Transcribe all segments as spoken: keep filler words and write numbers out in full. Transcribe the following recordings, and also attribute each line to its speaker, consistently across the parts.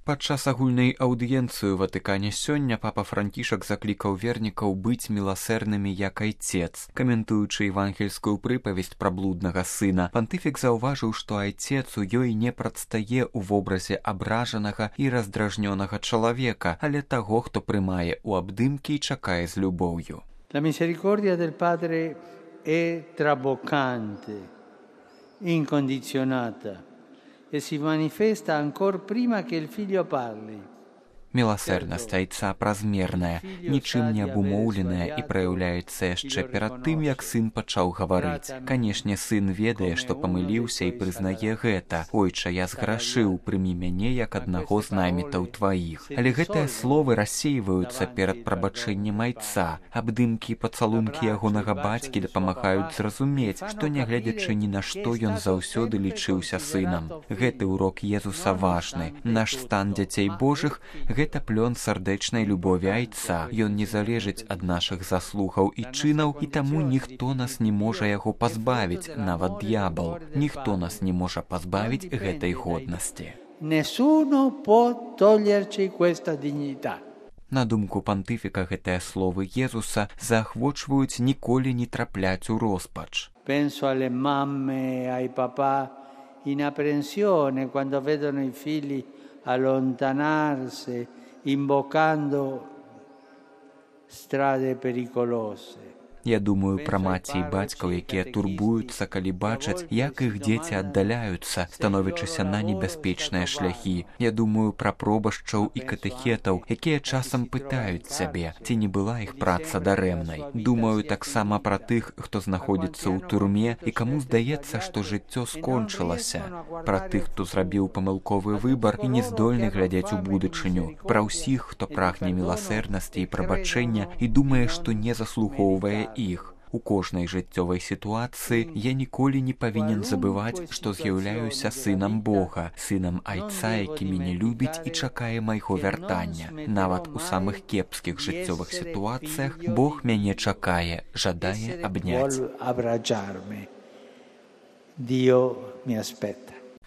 Speaker 1: Падчас агульнай аўдыенцыі ў Ватыкане сёння папа Францішак заклікаў вернікаў быць міласэрнымі як айцец. Каментуючы евангельскую прыпавесць пра блуднага сына, пантыфік заўважыў, што айцец у ёй не прадстае ў вобразе абражанага і раздражнёнага чалавека, але таго, хто прымае ў абдымкі і чакае з любоўю.
Speaker 2: La misericordia del Padre è traboccante, incondizionata e si manifesta ancor prima che il figlio parli.
Speaker 1: Міласэрнасць айца празмерная, нічым не абумоўленая і праяўляецца яшчэ перад тым, як сын пачаў гаварыць. Канешне, сын ведае, што памыліўся і прызнае гэта. Ойча, я зграшыў, прымі мяне як аднаго з наймітаў тваіх. Але гэтыя словы рассейваюцца перад прабачэннем айца. Абдымкі і пацалункі ягонага бацькі дапамагаюць зразумець, што нягледзячы ні на што ён заўсёды лічыўся сынам. Гэты урок Езуса важны. Наш стан дзяцей Божых гэта плён сардэчнай любові айца. Ён не залежыць ад нашых заслугаў і чынаў, і таму ніхто нас не можа яго пазбавіць, нават д'ябал. Ніхто нас не можа пазбавіць гэтай годнасці.
Speaker 2: Nessuno può toglierci questa dignità.
Speaker 1: На думку пантыфіка, гэтыя словы Езуса заахвочваюць ніколі не трапляць у роспач.
Speaker 2: Penso alle mamme, ai papà in apprensione quando vedono i figli allontanarsi, imboccando strade pericolose.
Speaker 1: Я думаю пра маці і бацькаў, якія турбуюцца, калі бачаць, як іх дзеці аддаляюцца, становячыся на небяспечныя шляхі. Я думаю пра пробашчаў і катэхетаў, якія часам пытаюць сябе, ці не была іх праца дарэмнай. Думаю таксама пра тых, хто знаходзіцца ў турме і каму здаецца, што жыццё скончылася. Пра тых, хто зрабіў памылковы выбар і не здольны глядзець у будучыню. Пра ўсіх, хто прагне міласэрнасці і прабачэння і думае, што не заслугоўвае іх. У кожнай жыццёвай сітуацыі я ніколі не павінен забываць, што з'яўляюся сынам Бога, сынам айца, які мяне любіць і чакае майго вяртання. Нават у самых кепскіх жыццёвых сітуацыях Бог мяне чакае, жадае абняць.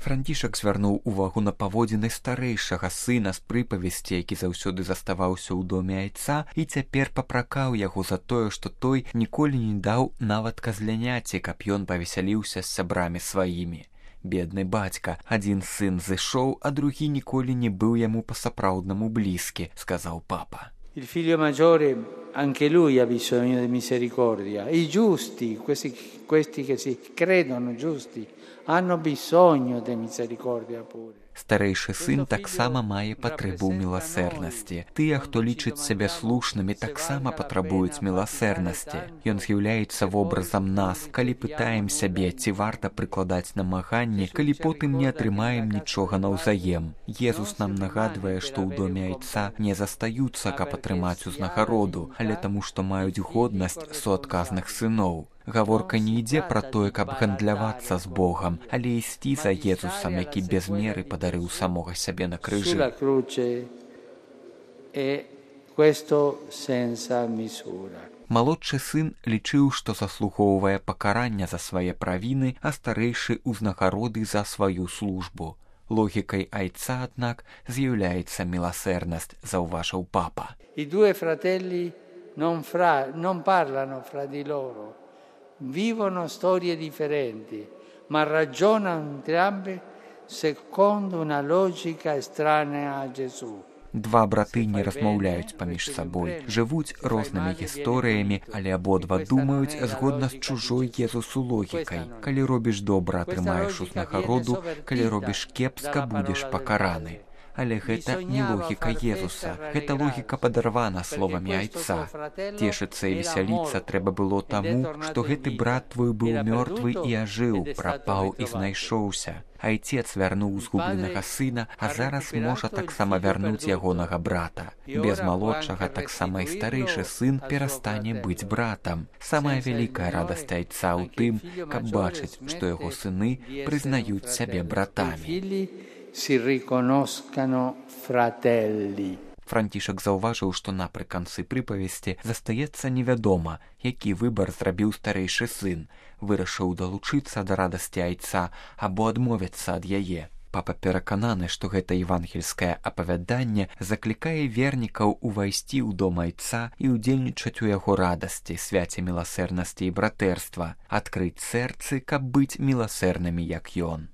Speaker 1: Францішак звярнуў увагу на паводзіны старэйшага сына з прыпавесці, які заўсёды заставаўся ў доме айца, і цяпер папракаў яго за тое, што той ніколі не даў нават казляняці, каб ён павесяліўся з сябрамі сваімі. Бедны бацька, адзін сын зышоў, а другі ніколі не быў яму па-сапраўднаму блізкі, сказаў папа.
Speaker 2: Il figlio maggiore, anche lui ha bisogno di misericordia. I giusti, questi, questi che si credono giusti, hanno bisogno di misericordia pure.
Speaker 1: Старэйшы сын таксама мае патрэбу ў міласэрнасці. Тыя, хто лічыць сябе слушнымі, таксама патрабуюць міласэрнасці. Ён з'яўляецца вобразам нас, калі пытаем сябе, ці варта прыкладаць намаганні, калі потым не атрымаем нічога наўзаем. Езус нам нагадвае, што ў доме айца не застаюцца, каб атрымаць узнагароду, але таму, што маюць годнасць суадказных сыноў. Гаворка не ідзе пра тое, каб гандлявацца з Богам, але ісці за Езусам, які без меры падарыў самога сябе на крыжы. Малодшы сын лічыў, што заслугоўвае пакарання за свае правіны, а старэйшы ўзнагароды за сваю службу. Логікай айца, аднак, з'яўляецца міласэрнасць, заўважыў папа.
Speaker 2: I due fratelli non, fra, non parlano fra di loro. Vivono storie differenti, ma ragionano entrambi secondo una logica estranea a Gesù.
Speaker 1: Два браты не размаўляюць паміж сабой, жывуць рознымі гісторыямі, але абодва думаюць згодна з чужой Езусу логікай. Калі робіш добра, атрымаеш узнагароду, калі робіш кепска, будзеш пакараны. Але гэта не логіка Езуса, гэта логіка падарвана словамі айца. Цешыцца і весяліцца трэба было таму, што гэты брат твой быў мёртвы і ажыў, прапаў і знайшоўся. Айцец вярнуў згубленага сына, а зараз можа таксама вярнуць ягонага брата. Без малодшага таксама і старэйшы сын перастане быць братам. Самая вялікая радасць айца ў тым, каб бачыць, што яго сыны прызнаюць сябе братамі.
Speaker 2: Si riconoscano fratelli.
Speaker 1: Францішак заўважыў, што напрыканцы прыпавесці застаецца невядома, які выбар зрабіў старэйшы сын, вырашыў далучыцца да радасці айца або адмовіцца ад яе. Папа перакананы, што гэта евангельскае апавяданне заклікае вернікаў увайсці ў дом айца і ўдзельнічаць у яго радасці, свяце міласэрнасці і братэрства, адкрыць сэрцы, каб быць міласэрнымі, як ён.